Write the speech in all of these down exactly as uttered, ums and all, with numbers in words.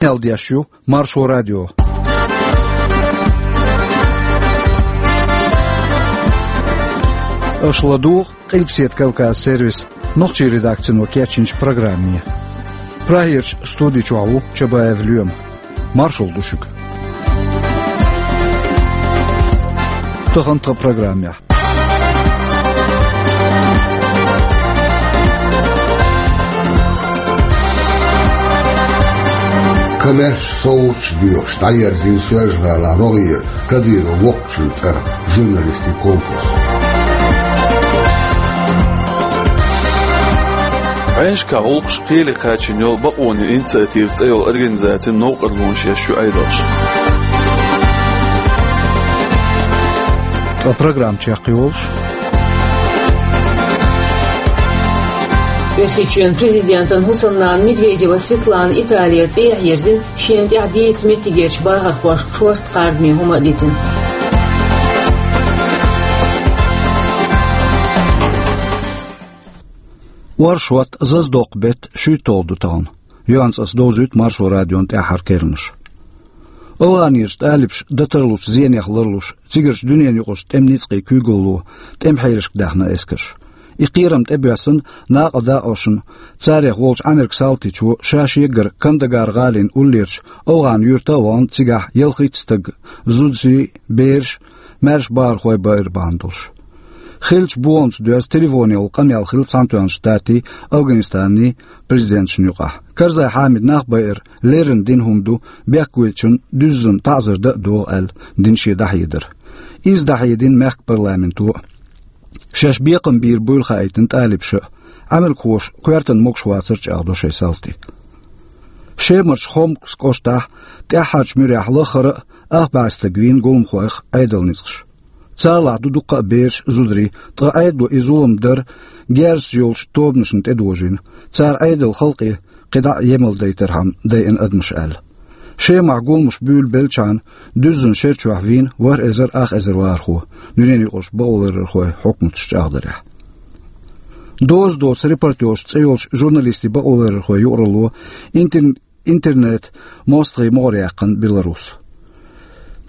Къамел деш ю Маршо радио. Аша ладугӀу Къилбаседа Кавказ сервисан нохчийн редакцино кечйинчу программе. Прагерчу студи чохь ву Чабаев Лоьма. Маршалла ду шуьга. Тахана тхан программехь. Коммерческий совгӀаташ доьхуш дӀаерзийна Соьлжа-ГӀалахь вогӀийра Кадыровн воккхачун цӀарах журналистийн конкурс. Ӏаьнашкахь гӀуллакхаш кхеле кхачийна йолу «Бакъонан инициатива» цӀе йолу организацин новкъарлонаш еш ю Ӏедалша. Ткъа программа чекхйолуш. Оьрсийчоьнан президентан хӀусамнана Медведева Светлана Италера цӀехьа ерзина, шена тӀехь дийца меттигерчу бахархошка шортта кхардаме хӀума а дитина. Оршот, зазадоккху беттан шуьйтталгӀа ду тахана. Юьхьанца аса довзуьйту Маршо радион тӀаьххьара керланаш. ОвгӀанерчу талибаша дан тарлучу зенех ларлуш, цигарчу дуьненаюкъарчу тӀеман ницкъийн куьйгалло тӀеман хьелашка даьхна эскарш. И кхерам тӀебоьссина накъа дакъошна, царех волчу Ӏамеркан салтичо ша шегара Кандагар-гӀалин уллерчу ОвгӀан-юьрта а вахана, цигахь ялхитта стаг, зудчий, бераш, маьрша бахархой байра бахьана долуш. Хиллачу бохамца доьзна телефонехула къамел хилла Цхьаьнатоьхначу Штатийн, Афганистанан президенташна юкъахь. Карзай Хьамида нах байар леррина дина хӀума ду, бехкевиллачунна дуьззина таӀзар дан а догӀу аьлла дина шен дӀахьедар. Иза дӀахьедина мехкан парламенто а. Шаьш бекхам бийр буйла хаийтина талибаша а. Ӏамеркахоша коьртана могуш вацар чӀагӀдо шайн салти. Шемарчу Хомкас кӀоштахь тӀаьххьарчу муьрехь лаххара а ах бӀе стаг вийна гуламхойх Ӏедалан ницкъаша. Царлахь ду дуккха а бераш, зударий, ткъа Ӏедало и зулам дар герзаш йолчу тобанашна тӀедожийна, цара Ӏедалан халкъе кхидӀа а емал дайтархьама дайина адамаш аьлла. Шемахь гуламаш буьйлабеллачхьана, дуьззина шер чохь вийна ворхӀ эзар ах эзар вахархо, дуьненаюкъарчу бакъоларъярхойн хьукматаша чӀагӀдарехь. «Доза доцу репортёраш» цӀе йолчу журналистийн бакъоларъярхойн юкъаралло интер-, интернет-мостагӀийн могӀаре яьккхина Беларус.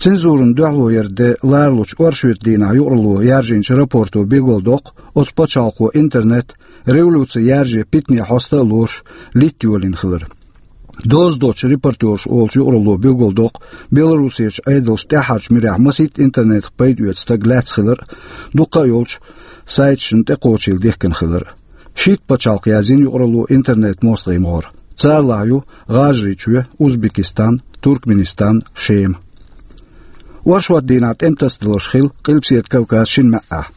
Цензурина дуьхьало яран де ларалучу оршотан дийнахь юкъаралло яржийначу рапорто билгалдоккху, оцу пачхьалкхо интернет революци ярже, питане хьоста а лоруш, литта йолийна хилар. «Доза доцу репортёраш» олучу юкъаралло билгалдоккху, Беларусерчу Ӏедалша тӀаьххьарчу муьрехь масийтта интернетах пайда оьцу стаг лаьцна хилар а, дуккха а йолчу сайташна тӀекхочийла дихкина хилар а. Шийтта пачхьалкх язйина юкъаралло интернет-мостагӀийн могӀара. Царлахь ю ГӀажарийчоь, Узбекистан, Туркменистан, Шема. Оршотан дийнахь тӀеман тасадаларш хилла Къилбаседа Кавказан шина маьӀӀехь: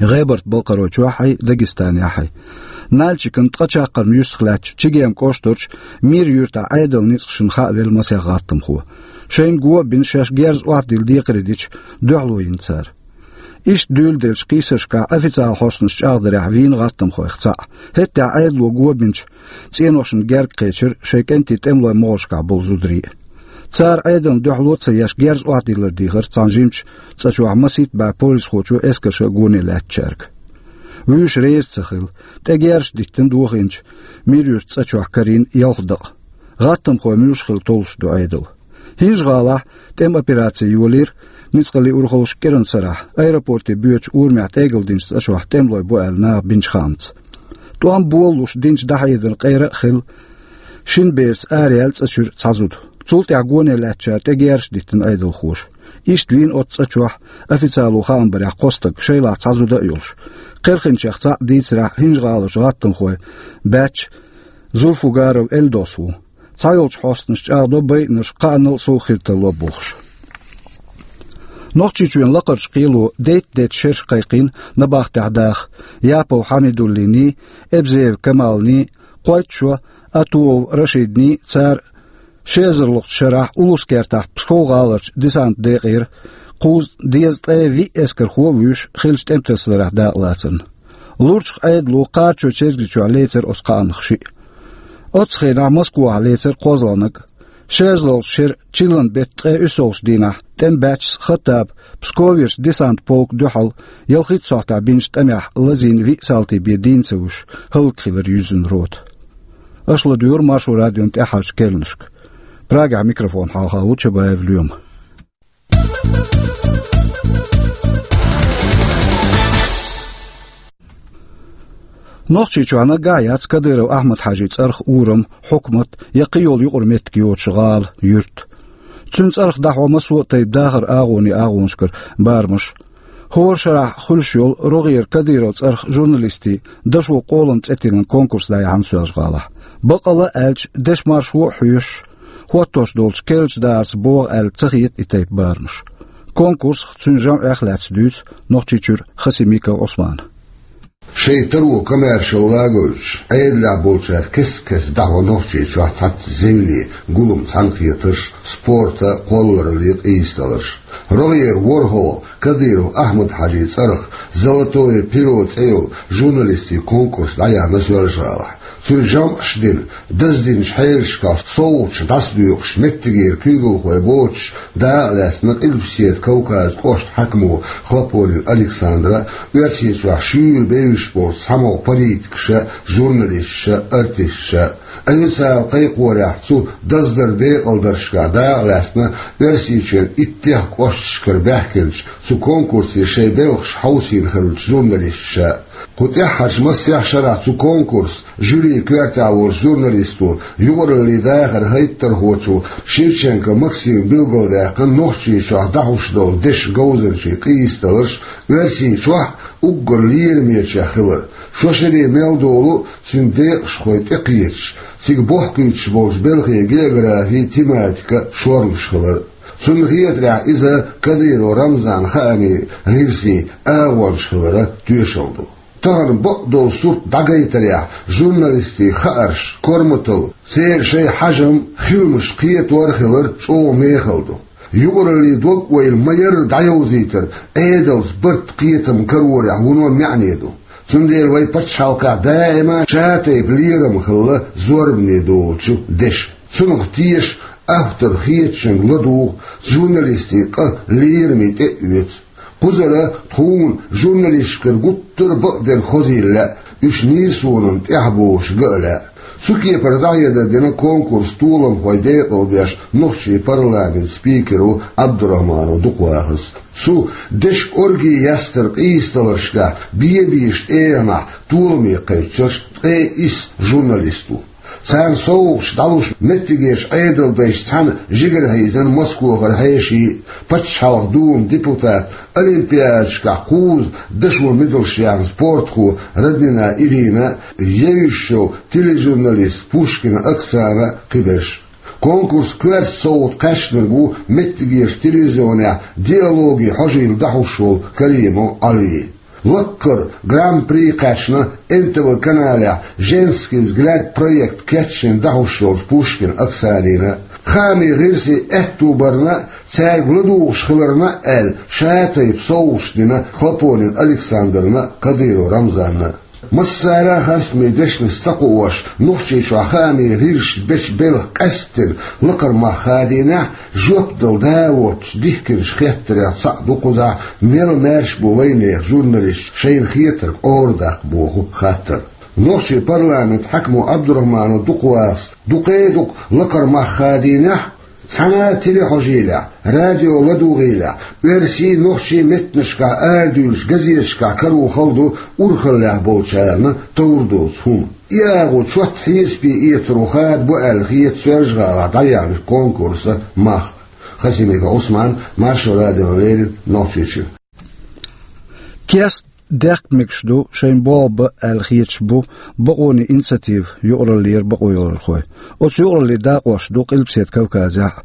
ГӀебарта-Балкхаройчохьий, Дагестанехьий. Нальчикана ткъа чаккхарма юьстах лаьттачу Чегем кӀоштарчу Мир-юьртахь Ӏедалан ницкъашна хаавелла масех гӀаттамхо. Шайна го а бина, шаьш герз охьадилла декхаре дича, дуьхьало йина цара. Иштта дуьйладеллачу кхийсаршкахь официалан хьостанаша чӀагӀдарехь вийна гӀаттамхойх цхьаъ. ХӀетахь Ӏедало го бинчу цӀеношна герга кхечира шайн кӀентий тӀемалойн могӀаршкахь болу зударий а. Цара Ӏедална дуьхьало а ца еш, герз охьадиллар дийхира цхьана жимачу цӀа чохь масийтта бӀе полисхочо, эскарша а гоне лаьттачаьрга. Вуьйш реза ца хилла, тӀе герзаш диттина дохийначу Мир-юьртан цӀа чохь карийна ялх дакъа. ГӀаттамхой муьлш хилла толлуш ду Ӏедал. ХӀинжа-ГӀалахь тӀеман операци йолийра ницкъаллин урхаллаш кӀиранан сарахь, аэропорте боьдучу урамехь тӀегала динчу цӀа чохь тӀемалой бу аьлла наха бинчу хаамца. ТӀом болалуш динчу дӀахьедаран къера а хилла, шина бераца араяьлла цӀа чуьра цхьа зуда. Цул тӀаьхьа гоне лаьттачара тӀе герзаш диттина Ӏедалхоша. Иштта вийна оцу цӀа чохь, официало хаам барехь, кхо стаг, шайлахь цхьа зуда а йолуш. Кхерхинчех цхьаъ дийцарехь, ХӀинжа-ГӀаларчу гӀаттамхойн баьчча Зульфугаров Эльдос ву. Цхьайолчу хьостанаша чӀагӀдо байинарш кхаанал а, сов хир тарло а бохуш. Нохчийчоьнан лакхарчу кхело дейтта-дейтта шераш кхайкхийна набахтехь даха Япов Хьамидуллиний, Эбзеев Камалний, кхойтта шо Атуов Рашидний, цара ши эзарлгӀачу шарахь Улус-Кертахь Псков-гӀаларчу десантан декъера кхузткъе дезткъе виъ эскархо а вуьйш, хиллачу тӀеман тасадаларехь дакъалацарна. Лурчах Ӏедало Кхарачой-Чергазийчохь лецира оцу кхаанах шиъ. Оццу хенахь Москвахь лецира кхозлагӀниг. Ши эзарлгӀачу шеран чиллан беттан ткъе уьссалгӀачу дийнахь тӀеман баьччас Хаттаба Псковерчу десантан полка дуьхьал ялхитта сохьтехь бинчу тӀамехь лазийна виъ салти бен дийна ца вуьсуш, хӀаллакьхилира юьззина рота. Аша ладуьйгӀура Маршо радион тӀаьххьарчу керланашка. Прагехь микрофон хьалха ву Чабаев Лоьма. Нохчийчохь наггахь яц Кадыров Ахьмад-Хьаьжин цӀарах урам, хьукмат я кхин йолу юкъара меттиг йоцуш гӀала, юрт. Цуьнан цӀарах дӀахьо массо а тайпа дахаран агӀонийн агӀонашкара барамаш. ХӀора шарахь хуьлуш йолу рогӀера Кадыровн цӀарах журналистийн «Дашо къолам» цӀе тиллина конкурс дӀаяьхьна Соьлжа-ГӀалахь. Бакъ а аьлча, дешан маршо а хьоьшуш, хӀоттош долчу керлачу дахарца богӀу аьлла ца хета и тайпа барамаш. Конкурсах, цуьнан жамӀех а лаьцна дуьйцу Нохчийчуьра Хасимиков Ӏусмана. Шайн таро комаьршалла гойтуш, Ӏедалехь болчара кест-кеста дӀахьо Нохчийчохь цхьацца зевне, гулам, цхьаьнакхетарш, спорта, кхолларалле къийсадаларш. РогӀера ворхӀалгӀа Кадыров Ахьмад-Хьаьжин цӀарах «Золотое перо» цӀе йолу журналистийн конкурс дӀаяьхьна Соьлжа-ГӀалахь. Цуьнан жамӀаш дина, даздинчу хьелашкахь совгӀаташ дӀасадоькъуш, меттигера куьйгалхой боцуш, дакъа лаьцна Къилбаседа Кавказан кӀоштан хьаькамо Хлопонин Александра, Оьрсийчохь шуьйра бевзаш болчу цхьамогӀа политикаша, журналисташа, артисташа. Официалан кхайкхорехь, цу даздаран декъалдаршкахь дакъа лаьцна Оьрсийчоьнан иттех кӀошташкара баьхкинчу цу конкурсе шайн белхаш хьовсийна хиллачу журналисташа. Кху тӀаьххьарчу массех шарахь цу конкурсан жюрин коьртехь волчу журналисто, юкъараллин дахаран хӀоттархочо Шевченко Максима билгалдаьккхина Нохчийчохь дӀахьош долу дешан говзанчийн къийсадаларш Оьрсийчохь а, уггар лерамечех хилар. Шо шаре мел долу цуьнан декъашхой тӀекхеташ, цига бохкуьйтуш болчу белхийн географи, тематика шорнаш хилар. Цунна хетарехь, иза Кадыров Рамзанан хаамийн гӀирсийн агӀонаш хиларан тоьшалла ду. Тахана бакъдолу сурт дӀагайтарехь, журналистийн хаарш, корматалла, церан шайн хьажам, хиламаш кхетор а хилар чӀогӀа мехала ду. Юкъараллин дог-ойла ма-ярра дӀайовзийтар Ӏедалца барт, кхетам карорехь вуно маьӀне ду. Цундела вайн пачхьалкхехь даима шатайпа лерам хилла зорбане долучу дешан. Цунах теша, автор хетачуьнга ладугӀу, журналистийн къа лерамийн тӀе а оьцу. Кхузара тхуна журналисташкара гуттар а бакъдерг хозийла лаьа, уьш нийсонан тӀаьхьа бохуш ган а лаьа. Цу кепара дӀахьедар дина конкурсан толамхойн декъалдеш нохчийн парламентан спикер ву Абдурахманов Дукхавахас. Цу дешан оргий ястар къийсадаларшкахь бен-бешан тӀегӀанехь толаме кхайкхинарш ткъе исс журналист ву. Царна совгӀаташ дӀалуш меттигерчу Ӏедалдайшца цхьаьна жигара хьийзина Москохара хьеший, Пачхьалкхан Думан депутат, Олимпиадашкахь кхузза дашо медалш яьхна спортхо Роднина Ирина, евзаш йолу тележурналист Пушкина Оксана, кхиберш. Конкурсан коьрта совгӀат кхаьчнарг ву меттигерчу телевизионехь диалоган хьожийла дӀахьош волу Каримов Ӏали. Лаккхара гран-при кхаьчна Н Т В каналехь «Женский взгляд» проект кечйина дӀахьош йолчу Пушкина Оксанина. Хаамийн гӀирсийн аьтто барна, цаьрга ладугӀуш хиларна аьлла, шатайпа совгӀаташ дина Хлопонин Александрна, Кадыров Рамзанна. Массара а хастаме дешнаш ца кхоош, Нохчийчохь хаамийн гӀирсаша бечу белхан къаьсттина лакхара мах хадийнехь, жоп дала да а воцуш, дихкинчу хеттарех цхьаъ ду кхузахь мел маьрша бу вайнехан журналисташ шайна хетарг арадаккха боху хаттар. Нохчийн парламентан хьаькамо Абдурахманов Дукхавахас дукхе а дукха лакхара мах хадийнехь, цхьана а телехьожийлехь, радио ладугӀийлехь, оьрсийн, нохчийн меттанашкахь арадуьйлучу газеташкахь каро хала ду урхаллехь болчарна товр доцу хӀума. И агӀо чот хьесапе эцаро хада бу аьлла хета Соьлжа-ГӀалахь дӀаяьхьначу конкурсан мах. Хасимиков Ӏусман, Маршо радиона леррина, Нохчийчуьра. Кест дехка мегаш ду, шайн болх бан аьлла хеташ бу «Бакъонан инициатива» юкъараллера бакъо йолархой. Оцу юкъараллин дакъош ду Къилбаседа Кавказехь а.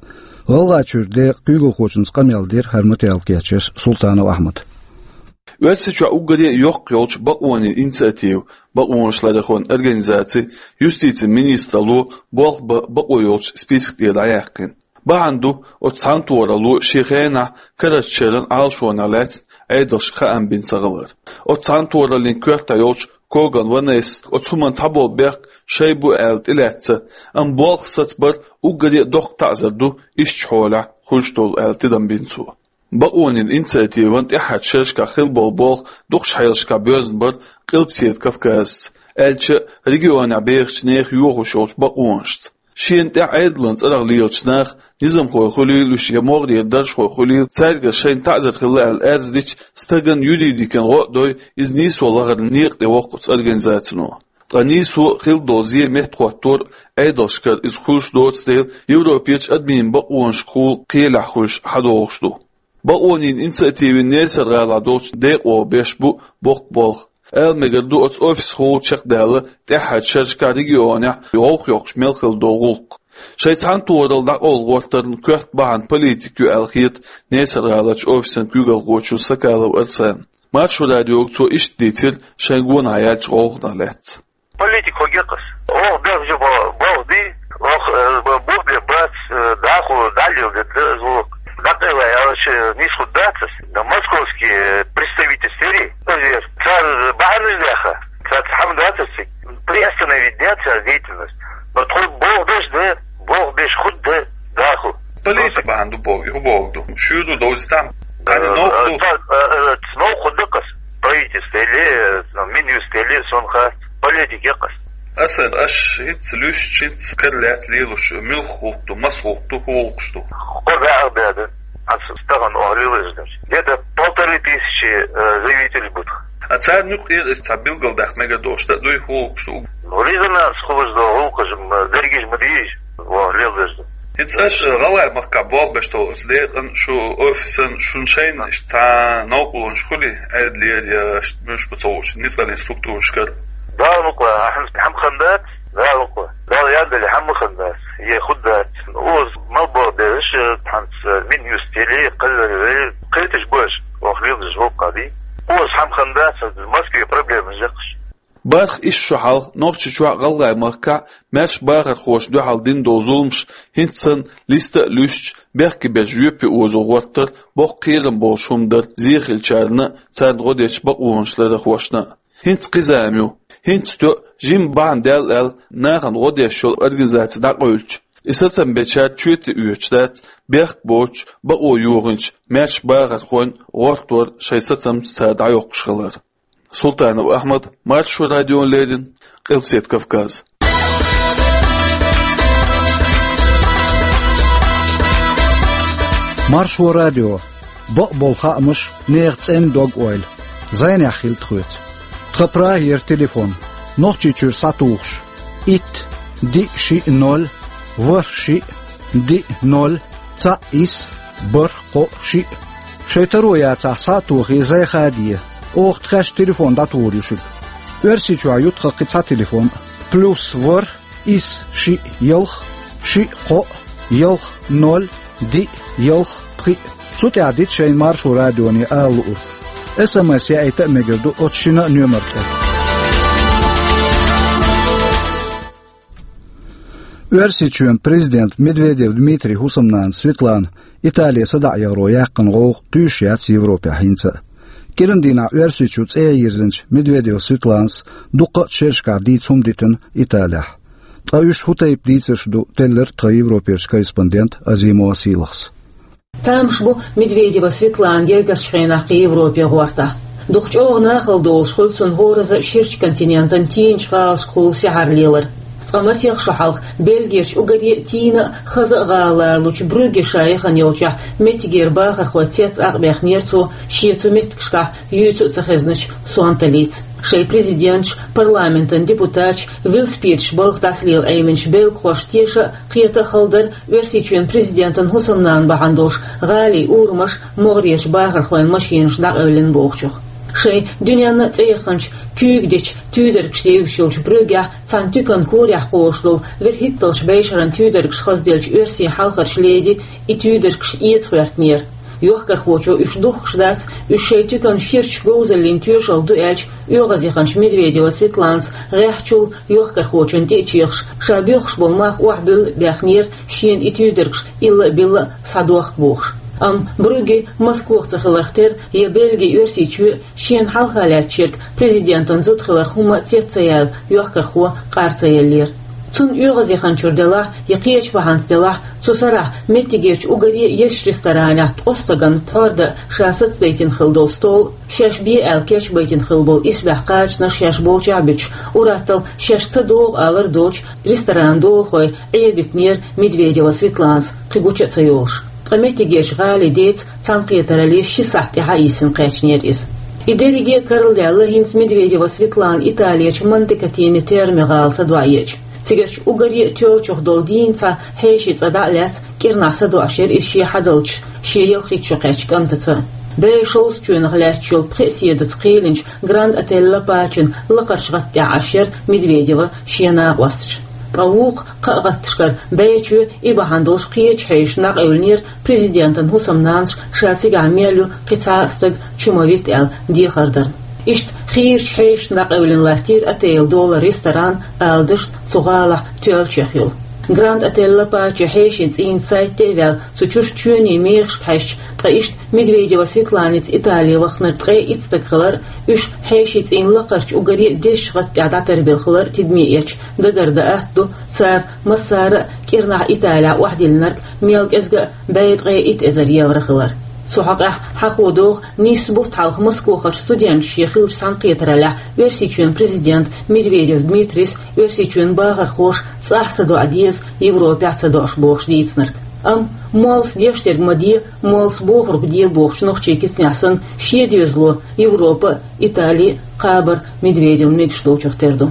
ГӀалгӀайчуьра декъан куьйгалхочуьнца къамел дира хӀара материал кечъеш Султанов Ахьмада. Оьрсийчохь уггаре а йоккха йолчу «Бакъонан инициатива», бакъонашларъярхойн организаци, юстицин министралло болх бан бакъо йолчу список тӀера дӀаяьккхина. Бахьана ду оцу цхьаьнатохаралло шен хенахь карарчу шеран Ӏалашонех лаьцна Ӏедалшка хаам бина ца хилар. Оцу цхьаьнатохараллин коьртехь йолчу Коган Ванессас оцу хӀуманна цхьаболу бехк шайн бу аьлла тӀелаьцна, амма болх сацабар уггаре а доккха таӀзар ду ишттачу хьолехь хуьлуш долу аьлла тидам бина цо. «Бакъонан инициативан» тӀаьххьарчу шерашкахь хилла болу болх дукхачу хьелашкахь боьзна бара Къилбаседа Кавказца, аьлча а регионехь бехачу нехан йохош йолчу бакъонашца. Шена тӀехь Ӏедалан цӀерагӀа лелачу наха, низамхой хуьлийла уьш я могӀарера даржхой хуьлийла, цаьргара шайна таӀзар хилла аьлла аьрз дича, стагана юридикан гӀо а дой, иза нийсо лахаран некъа тӀе воккху оцу организацино. Ткъа нийсо а, хилла долу зе а меттахӀоттор а Ӏедалшкара иза хуьлуш доцу дела, Европерчу адамийн бакъонашкахула кхелехь хуьлуш хьадогӀуш ду. Бакъонийн инициативин Несар-гӀалахь долчу декъо беш бу боккха болх. Ала мегар ду, оцу офисхула чекхдаьлла тӀаьххьарчу шерашкахь регионехь гӀовгӀа йоккхуш мел хилла долу гӀуллакх. Шайн цхьаьнатохаралла дӀакъовла гӀортарна коьрта бахьана политика ю аьлла хета Несар-гӀаларчу офисан куьйгалхочо Сакалов Арсанна. Маршо радиога цо иштта дийцира шайн гонахь яьллачу гӀовгӀанах лаьцна. Политика хӀун гекъас? Оха бехк жо бо-, болх ди, оха, э, бо-, бо-, бе бац, э, даху, далил де, де, звук. Дакъела аьлча, нийсхуд дацас. Да московский, э, представительствери, э, цар бахьанаш даха, цар хьам дацас, приостановить дяц цар деятельность. Но тхо болх деш да, болх деш худ да, даху. Политика бахьана ду боху, хӀун боху ду? Шуьйра ду, довзийтахь. Кхана новкъа ду. Э, э, э, новкъа ду кхас. Правительство или, э, ну, Минюст или сонха политика кхас. Арсен, аш хӀинца луьстуш, хӀинца кара лаьцна лелош, муьлха гӀуллакх ду, маса гӀуллакх ду, хӀун гӀуллакхаш ду? Кхо баьӀах беда. Ас стагана охьалелаш дара. Где-то полторы тысячи, э, заявителей бу тхан. А царна юкъера цхьа билгалдаккха мегар долуш да дуй, хӀун гӀуллакхаш ду? Ну, резонанс хуьлуш долу гӀуллакхаш ма, дерригаш ма дийша, охьалелаш ду. ХӀинца аш, э, ГӀалгӀай махкахь болх беш долу оцу декъан, шу офисан, шун шайна иштта цхьа новкъарлонаш хуьлий, Ӏедалера я, муьлш бу ца хууш, ницкъаллин структурашкара? Дала мукъа, ахьа хьамхан дац, Дала мукъа. Дала яндали хьамхан дац, е худ дац. Оз мал бо дезаш, э, хьанца Минюст или, кхаллар или, кхеташ баш, охьалелаш гӀуллакх ди. Оз хьамхан дац, Москве проблемаш яккхаш. Барх исс шо хьалха Нохчийчохь а ГӀалгӀай махкахь а маьрша бахархоша дуьхьал дина долу зуламаш хӀинца санна листа а луьстуш, бехке берш жоьпе озо гӀортар боккха кхерам болуш хӀума дара зе хиллачарна а, царна гӀо дечу бакъонашларъярхошна а. ХӀинца кхин зама ю. ХӀинца тоьа жимма бахьана даьлла аьлла, нахана гӀо деш йолу организаци дӀакъевлча, и сацам бечара чоьте оьцуш дац бехк боцуш, бакъо йохийначу маьрша бахархойн гӀортор, шайн сацамца цара дӀайоккхуш хилар. Султанов Ахьмад, Маршо радиона леррина, Къилбаседа Кавказ. Маршо радио. Бакъболу хаамаш, нехан цӀена дог-ойла. Зайнехь хила тхоьца. Тхан Прагера телефон. Нохчийчуьра схьатухуш. Итт, диъ, шиъ, ноль, ворхӀ, шиъ, диъ, ноль, цхьаъ, исс, бархӀ, кхоъ, шиъ. Шайн таро яцахь, схьа а тохий, зай хаде. Оха тхаьш телефон дӀатухур ю шуьга. Оьрсийчохь ю тхан кхин цхьа телефон. Плюс ворхӀ, исс, шиъ, ялх, шиъ, кхоъ, ялх, ноль, диъ, ялх, пхиъ. Цу тӀехь дита шайна Маршо радионе ала луург. СМС яийта а мегар ду оцу шина а номер тӀе. Оьрсийчоьнан президент Медведев Дмитрий хӀусамнана Светлана Итале садаӀа яхаро яьккхина гӀовгӀа туьйсуш яц Европехь хӀинца а. КӀиран дийнахь Оьрсийчу цӀе йирзинчу Медведев Светланас дуккха а шерашкахь дийца хӀума дитина Италехь. Ткъа уьш хӀун тайпа дийцарш ду, теллира тхан Европерчу корреспондента Азимова Сийлахьас. Тамаш бу Медведева Светлана гергарчу хенахь кхин Европе гӀортахь. Дукха чӀогӀа нахала долуш хуьлу цунна хӀораза ширачу континентан тийначу гӀалашкахула сехьар лелар. Цкъа масех шо хьалха Бельгерчу уггаре а тийна а, хаза а гӀала ларалучу Брюгге ша яхана йолчохь меттигера бахархой цец Ӏакъбехнера цо шен цу меттигашкахь юьйцу а ца хезначу сонталлица. Шайн президенташ, парламентан депутаташ, велосипедаш балха дӀасалела Ӏеминчу белгахошна теша а, кхета а хала дара Оьрсийчоьнан президентан хӀусамнана бахьана долуш гӀалин урамаш, могӀарерчу бахархойн машинаш дӀакъевлина бохучух. Шайн дуьненна а цӀе яханчу куьйга дечу туьйдаргаш зевзаш йолчу Брюггехь цхьана туьканан корехь кхочуш долу вуьрхӀитталгӀачу бӀешеран туьйдаргаш хазделлачу оьрсийн хьалхарчу леди и туьйдаргаш эца гӀоьртинера. Йохкархочо уьш духкуш дац, уьш шайн туьканан ширачу говзаллин тоьшалла ду аьлча, оьгӀаз яханчу Медведева Светланас гӀеххьачул йохкархочунна тӀе а чехаш, ша боьхуш болу мах охьабуьллу а бехнера, шена и туьйдаргаш илла а билла а схьадохку бохуш. Амма Брюгге Москох ца хиларх тера, я Бельги Оьрсийчоь а шена хьалха лаьттачу ерг президентан зуда хиларх хӀумма а цец ца яьлла, йохкархо къар ца еллера. Цунна оьгӀазъяханчура делахь, я кхечу бахьанца делахь, цу сарахь меттигерчу уггаре а езачу ресторанехь ткъо стагана пхьор дан ша сацадайтина хилла долу стол, шаьш бе аьлла кечбайтина хилла болу исбаьхьа кхачанаш шаьш болчохь а буьтуш, уьттазза шаьш ца догӀу алар доцуш, ресторан долахой Ӏебитинера Медведева Светланас кхин гуча а ца йолуш. Ткъа меттигерчу гӀалин деца цхьаьнакхетаралле ши сахьт тӀаьхьа йисина кхаьчнера иза. И дерриге а карладаьлла хӀинца Медведева Светлана Италерчу Монте-Катини Терми гӀала садоӀуьйтуш. Цигарчу уггаре а тоьллачух долу дийнна цхьа хьеший цӀа дӀа а лаьцна, кӀирнахь садоӀуш яра иза шен хьадалчаш шен ялхитта шо кхаьчначу кӀантаца. БӀе шовзткъа чоьнах лаьтташ йолу пхеа седаца кхийлинчу Гранд Отель Ла Пачен лакхарчу гӀатта тӀехь Ӏаш яра Медведева шен накъосташ. Ткъа вукху кхаа гӀатташкара бӀе чоь, и бахьана долуш кхечу хьешашна дӀакъевлинера президентан хӀусамнанас ша цигахь мел ю кхин цхьа а стаг чу ма витта аьлла дехар дарна. Иштта хийрачу хьешашна дӀакъевлина латтийра отель долу ресторан, ала дашна, цу гӀалахь тоьллачех йолу. Гранд Отель Ла Паче хьешийн цӀийнан сайт тӀе а ваьлла, цу чуьра чоьнийн мехашка хьаьжча, ткъа иштта Медведева Светланица Итали вахнарг ткъе итт стаг хилар, уьш хьешийн цӀийнан лакхарчу уггаре а дезачу гӀатта тӀехь дӀатарбелла хилар тидаме эцча, дагардан атта ду, цара массара а кӀирнахь Италехь охьадиллинарг мел кӀезга а бӀе ткъе итт эзар евро хилар. Цу хьокъехь хьахо догӀу, нийсса бутт хьалха Москохарчу студенташа шен хиллачу цхьаьнакхетараллехь Оьрсийчоьнан президента Медведев Дмитрийс Оьрсийчоьнан бахархоша цӀахь садоӀа деза, Европехь ца доӀуш бохуш дийцинарг. Амма моллас деш дерг ма де, моллас бохург де бохучу нохчийн кицанехь санна, шен доьзало Европа а, Итали а кхабар Медведевна мегаш долчух тера ду.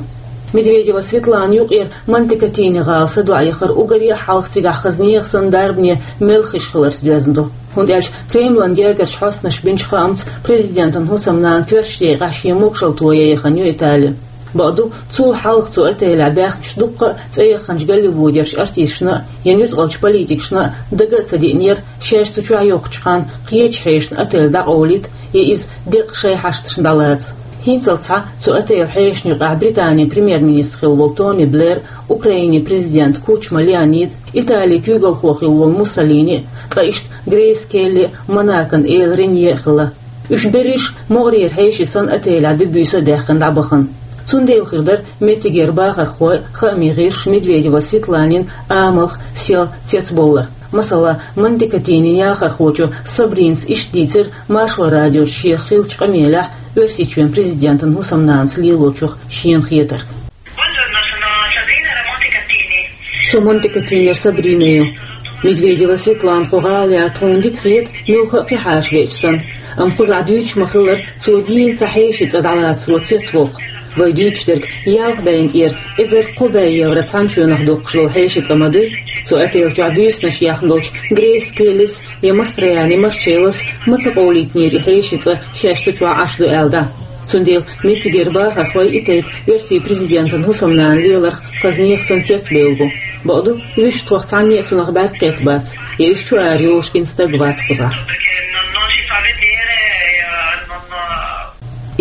Медведева Светлана юкъера Монте-Катини гӀала садоӀа яхар уггаре а хьалха цигахь хаза нехан санна дарбане мел хиш хиларца доьзна ду. ХӀунда аьлча Кремлан гергарчу хьостанаша бинчу хаамца президентан хӀусамнана коьртачу декъехь шен могушалла тоян яхана ю Итали. Бакъду, цул хьалха цу отелехь баьхначу дуккха а цӀе яхханчу Голливудерчу артисташна а, я нуьцкъалчу политикашна а дага а ца диънера, шаьш цу чохь йоккхучу ханна кхечу хьешашна отель дӀакъовлийта, я иза деккъа шайн хьашташна дӀалаца. ХӀинцалц схьа цу отелан хьешашна юкъахь Британин премьер-министр хилла волу Тони Блэр, Украинин президент Кучма Леонид, Италин куьйгалхо хилла волу Муссолини, ткъа иштта Грейс Келли, Монакон эла Ренье а хилла. Уьш берриш а могӀарера хьеший санна отелехь де-буьйса а даьккхина дӀабахана. Цундела хир дара меттигера бахархой а, хаамийн гӀирсаша Медведева Светланин амалх, сел цецбовлар. Масала, Монте-Катинин яхархочо Сабринас иштта дийцира Маршо радиоца шех хиллачу къамелехь Оьрсийчоьнан президентан хӀусамнанас лелочух шена хетарг. Со Монте-Катинера Сабрина ю. Медведева Светлана кху гӀала яр тхуна дика хета, муьлхха а кхин хьаша веача санна. Амма кхузахь дуьйцуш ма-хиллара, цо дийна цхьа хьеший цӀа дӀалацаро цецвоккху. Вай дуьйцуш дерг ялх бӀенна тӀера эзар кхо бӀе евро цхьана чоьнах доккхуш долу хьеший цӀа ма дуй. Цу отель чохь буьйсанаш яьхна долчу Грейс Келлис я Мастрояни Марчеллос ма ца къовлийтинера и хьеший цӀа шаьш цу чохь Ӏаш ду аьлла дӀа. Цундела меттигера бахархой и тайпа оьрсийн президентан хӀусамнана леларх хаза нехан санна цецбевлла бу. Бакъду, вуьшта тхох цхьанне а цунах бӀаьрг кхетта бац, я иза чу ара йолуш гина стаг вац кхузахь.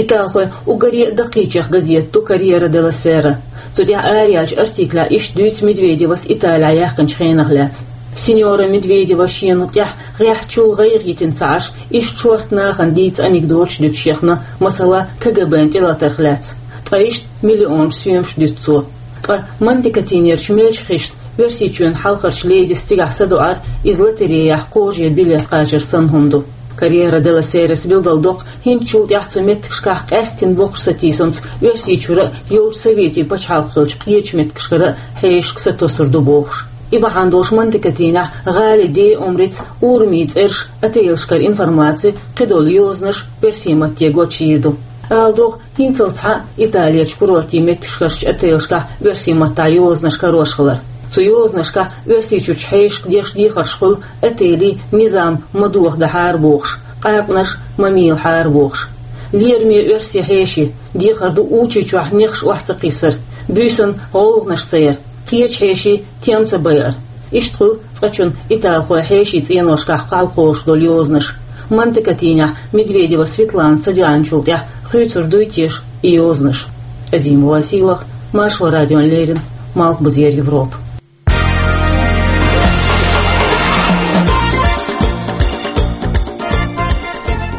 Италхойн уггаре а даккхийчех газета ду Корьера де ла Сера. Цу тӀехь араяьллачу артиклехь иштта дуьйцу Медведевас Италехь яьккхинчу хенах лаьцна. Синьора Медведева шена тӀехь гӀеххьачул гӀайгӀа йитина ца Ӏаш, иштта шорта нахана дийца анекдоташ дуьтуш яхна, масала, КГБ-н тӀелатарх лаьцна. Ткъа иштта миллионаш соьмаш дуьту цо. Ткъа Монте-Катинерчу мелча хишна Оьрсийчоьнан хьалхарчу ледис цигахь садоӀар иза лотереяхь кхожа билет кхачар санна хӀума ду. Корьера де ла Серас билгалдоккху, хӀинцачул тӀаьхьа цу меттигашкахь къаьсттина боккхачу сатийсамца Оьрсийчуьра а, йолчу Советийн пачхьалкх хиллачу кхечу меттигашкара а хьешашка сатосур ду бохуш. И бахьана долуш Монте-Катинехь гӀалин ден омрица, урамийн цӀераш, отелашкара информаци, кхидолу йозанаш оьрсийн матте гочйийр ду. Ала догӀу, хӀинцалц схьа Италерчу курортийн меттигашкарчу отелашкахь оьрсийн маттахь йозанаш карош хилар. Цу йозанашкахь Оьрсийчуьрчу хьешашка деш дехарш хуьлу отелий низам ма дохадахьара бохуш, къаьркъанаш ма мийлахьара бохуш. Лераме оьрсийн хьеший, дехар ду Учи чохь нехаш охьа ца кхиссар, буьйсанна гӀовгӀанаш ца яр, кхечу хьешийн тем ца байар. Иштта хуьлу цкъачунна италхойн хьешийн цӀеношкахь кхалкхолуш долу йозанаш. Монте-Катинехь Медведева Светлана садоьгӀначул тӀаьхьа хуьйцур дуй теша и йозанаш? Азимова Сийлаха, Маршо радиона леррина, Малхбузера Европа.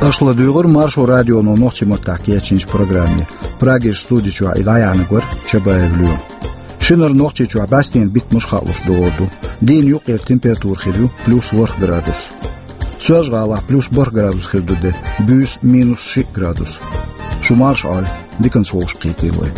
Аша ладуьйгӀура Маршо радионо нохчийн маттахь кечйинчу программе. Прагерчу студи чохь и дӀаяьхьнарг вара Чабаев Лоьма. Шинара Нохчийчохь бӀаьстенан биттамаш хаалуш догӀур ду. Дийнан юккъера температура хир ю плюс ворхӀ градус. Соьлжа-ГӀалахь плюс бархӀ градус хир ду де, буьйса минус шиъ градус. Шу марша Ӏойла, диканца вовшахкхетий вай.